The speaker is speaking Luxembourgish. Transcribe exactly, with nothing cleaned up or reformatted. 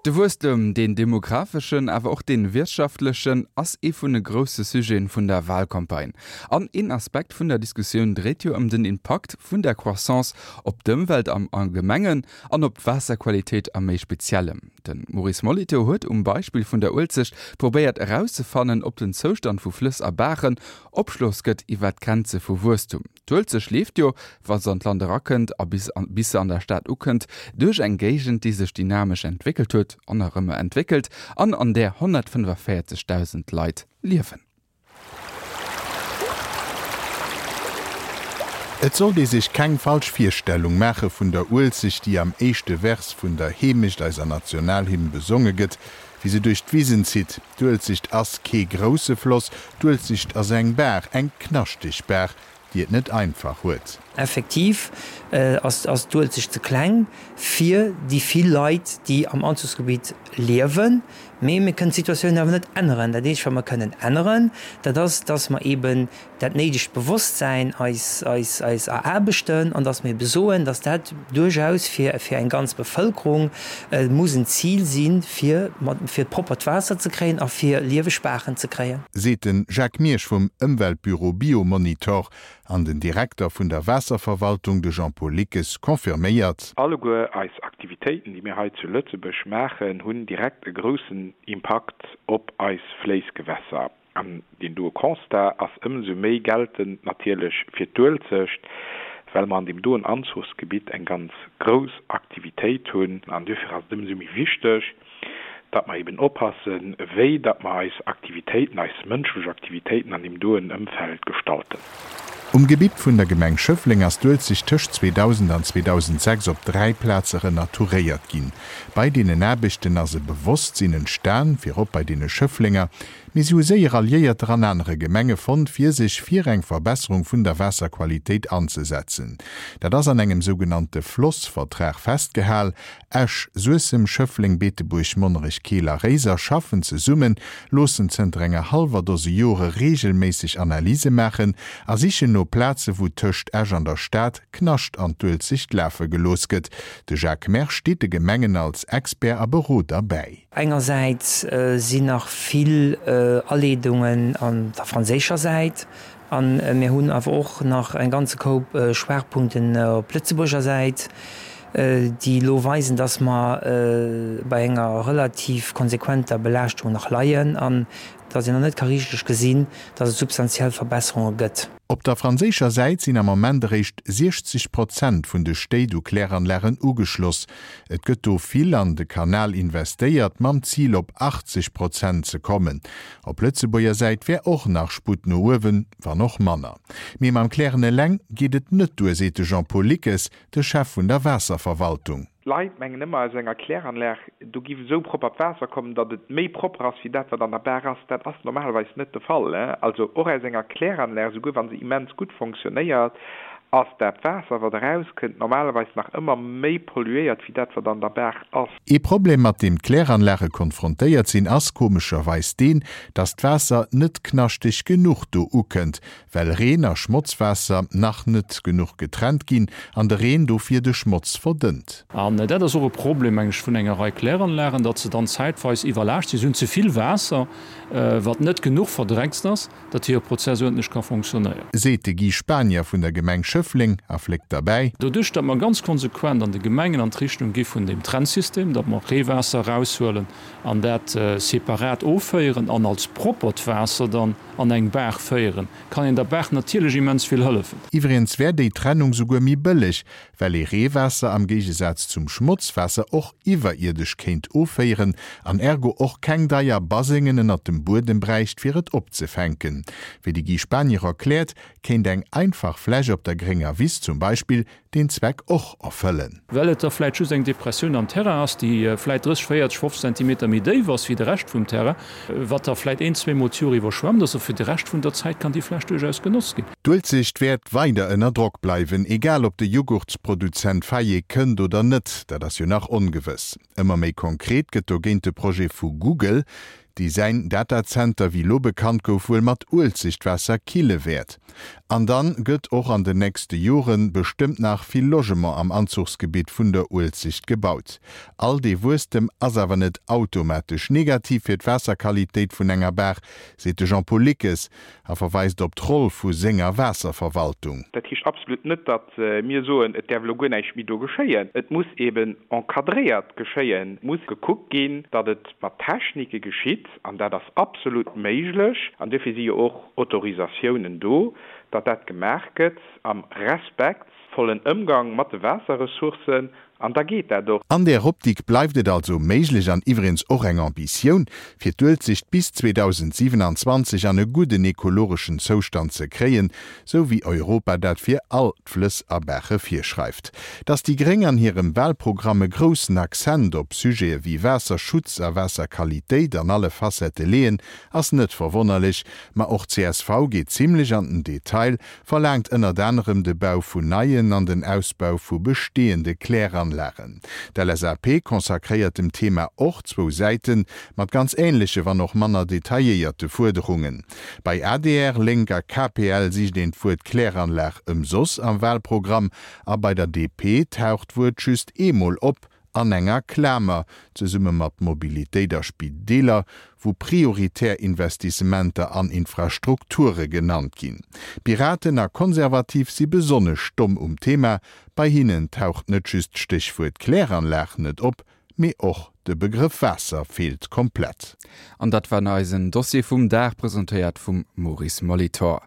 De Wuesstem, deen demographeschen, awer och dee wirtschaftlechen, ass ee vun de grousse Sujeten vun der Walcampagne. An een Aspekt vun der Diskussioun dréit jo ëm den Impakt vun der Croissance op d'Ëmwelt am Allgemengen an op d'Waasserqualitéit am méi Speziellem. De Maurice Molitor huet um Beispill vun der Uelzecht probéiert erauszefannen, ob den Zoustand vu Flëss a Baachen Opschloss gëtt iwwer d'Grenze vu Wuesstum. D'Uelzecht leeft jo, wa se an d'Land erakënnt a bis bis se an der Stad ukënnt, duerch eng Géigend, déi sech dynamesch entwéckelt huet an nach ëmmer entwéckelt an an där honnertfënnefavéierzegdausend Leit liewen. Et sollt ee sech keng falsch Virstellung maache vun der Uelzecht, déi am éischte Vers vun der Heemecht, eiser Nationalhymn, besonge gëtt, wéi se duerch d'Wisen zitt. D'Uelzecht ass kee grousse Floss, d'Uelzecht ass eng Baach, eng knaschteg Baach, déi et net einfach huet. Effektiv ass d'Uelzecht ze kleng fir déi vill Leit, déi am Anzuchsgebitt liewen. Mee mir kënnen d'Situatioun awer net änneren. Dat eenzegt, wat mer kënnen änneren, dat ass, dass mer eeben dat néidegt Bewosstsäin eis eraarbechten an dass mer eebe soen, dass dat duerchaus fir eng ganz Bevëlkerung muss en Zil sinn, fir proppert Waasser ze kréien a fir lieweg Baachen ze kréien. Seet de Jacques Miersch vum Ëmweltbüro Biomonitor. An den Direkter vun der Waasserverwaltung, de Jean-Paul Lickes, confirméiert. Alleguer eis Aktivitéiten, déi mir hei zu Lëtzebuerg maachen, hunn direkt e groussen Impakt op eis Fléissgewässer. An deen doe Constat ass ëmsou méi geltend natierlech fir d'Uelzecht, well mer an deem doen Anzuchsgebitt eng ganz grouss Aktivitéit hunn. An duerfir ass et ëmsou méi wichteg, datt mer eben oppassen, wéi datt mer eis Aktivitéiten, eis mënschlech Aktivitéiten an deem doen Ëmfeld gestalten. Um Gebitt vun der Gemeng Schëffleng ass d'Uelzecht tëscht zweedausend an zweedausendsechs op dräi Plaze renaturéiert ginn. Bei deenen Aarbechten ass e Bewosstsinn entstan, virop bei deene Schëfflenger, mee si hu séier Alliéierter an anere Gemenge fonnt, fir sech fir eng Verbesserung vun der Waasserqualitéit anzesetzen. Dat ass an engem sougenannte Flossvertrag festgehal. Esch, Suessem, Schëffleng, Beetebuerg, Monnerech, Keel a Réiser schaffen zesummen, loossen zënter enger hallwer Dose Jore reegelméisseg Analyse maachen a sichen no Plaze wou tëscht Esch an der Stad Knascht an d'Uelzecht lafe gelooss gëtt. De Jacques Mersch steet de Gemengen als Expert a Beroder bäi. Engersäits sinn nach vill Aleedungen an der franséischer Säit a mir hunn awer och nach e ganze Koup Schwaachpunkten op Lëtzebuerger Säit, déi elo weisen, dass mer bei enger relativ konsequenter Belaaschtung nach leien an dass een nach net ka richteg gesinn, dass et substantiell Verbesserunge gëtt. Op der franséischer Säit sinn am Moment eréischt siechzeg Prozent vun de Stéit u Kläranlagen ugeschloss. Et gëtt do vill an de Kanal investéiert, mam Zil op achtzeg Prozent ze kommen. Op Lëtzebuerger Säit wär och nach Sputt no uewen, wann och manner. Mee mam Klären eleng geet et net duer, seet de Jean-Paul Lickes, de Chef vun der Waasserverwaltung. D'Leit mengen ëmmer, aus enger Kläranlag, do giff esou proppert Waasser kommen, datt et méi propper ass wéi dat, wat an der Baach ass. Dat ass normalerweis net de Fall. Also och aus enger Kläranlag, esouguer wa se immens gutt fonctionnéiert, ass dat Waasser, wat erauskënnt, normalerweis nach ëmmer méi polluéiert wéi dat, wat an der Baach ass. Ee Problem, mat deem d'Kläranlage konfrontéiert sinn, ass komescherweis deen, datt d'Waasser net knaschteg genuch do ukënnt, well Reen a Schmotzwaasser nach net genuch getrennt ginn an de Reen dofir de Schmotz verdënnt. An dat ass och e Problem, meng ech, vun enger Rei Kläranlagen, datt se dann zäitweis iwwerlaascht sinn. Se hunn ze vill Waasser, wat net genuch verdreckst ass, datt hire Prozess uerdentlech ka fonctionnéieren. Seet de Guy Spanier vun der Gemeng Schëffleng a fléckt derbäi. Doduerch, datt mer ganz konsequent an de Gemengen an d'Richtung gi vun deem Trennsystem, datt mer Reewaasser eraushuelen an dat separat offéieren an als proppert Waasser dann an eng Baach féieren, kann een der Baach natierlech immens vill hëllefen. Iwwregens wär déi Trennung souguer méi bëlleg, well ee Reewaasser am Géigesaz zum Schmotzwaasser och iwwerierdesch kéint offéieren an ergo och keng deier Basengen ënnert dem Buedem bräicht, fir et opzefänken. Wéi de Guy Spanier erkläert, kéint eng einfach Fläch op der grénger Wiss zum Beispill deen Zweck och erfëllen. Well et da vläit just eng Depressioun am Terrain ass, déi vläit drësseg, véierzeg, fofzeg Zentimeter méi déif ass wéi de Rescht vum Terrain, wat da vläit een, zweemol d'Joer iwwerschwemmt ass. A fir de Rescht vun der Zäit kann déi Fläch duerchaus genotzt ginn. D'Uelzecht wäert weider ënner Drock bleiwen, egal ob de Jughurtsproduzent Fayet kënnt oder net, dat ass jo nach ongewëss. Ëmmer méi konkret gëtt dogéint de Projet vu Google. déi säin Datazenter, wéi lo bekannt gouf, wuel mat Uelzechtwaasser kille wäert. An dann gëtt och an den nächste Joren bestëmmt nach vill Logement am Anzuchsgebitt vun der Uelzecht gebaut. All dee Wuesstem ass awer net automatesch negativ fir d'Waasserqualitéit vun enger Baach, seet de Jean-Paul Lickes a verweist op d'Roll vu senger Waasserverwaltung. Dat heescht absolut net, datt mir soen, et däerf elo guer näischt méi do geschéien. Et muss eben encadréiert geschéien, et muss gekuckt ginn, datt et mat Technike geschitt, an dat ass absolut méiglech, an duerfir si jo och Autorisatiounen do, datt dat gemaach gëtt am respektvollen Ëmgang mat de Waasserressourcen, an da geet dat och. An där Optik bleift et also méiglech an iwwregens och eng Ambitioun, fir d'Uelzecht bis zweedausendsiwenanzwanzeg an e gudden ekologeschen Zoustand ze kréien, sou wéi Europa dat fir all d'Flëss a Baache virschreift. Dass déi Gréng an hirem Wahlprogramm e groussen Accent op Sujete wéi Waasserschutz a Waasserqualitéit an alle Facettë leeën, ass net verwonnerlech. Ma och csv geet zimlech an den Detail, verlaangt ënnert anerem de Bau vun neien an den Ausbau vu bestehende Kläranlagen. D'L S A P consacréiert dem Thema och zwou Säiten, mat ganz änleche, wann och manner detailléierte Fuerderungen. Bei A D R, Lénk a K P L sicht een d'Wuert Kläranlag ëmsoss am Wahlprogramm a bei der D P taucht d'Wuert just eemol op, an enger Klamer, zesumme mat Mobilitéit a Spideeler, wou prioritär Investissementer an Infrastrukture genannt ginn. Piraten a Konservativ si besonnesch stomm um Thema, bei hinnen taucht net just d'Stéchwuert Kläranlag net op, mee och de Begrëff Waasser feelt komplett. An dat war eisen Dossier vum Dag, presentéiert vum Maurice Molitor.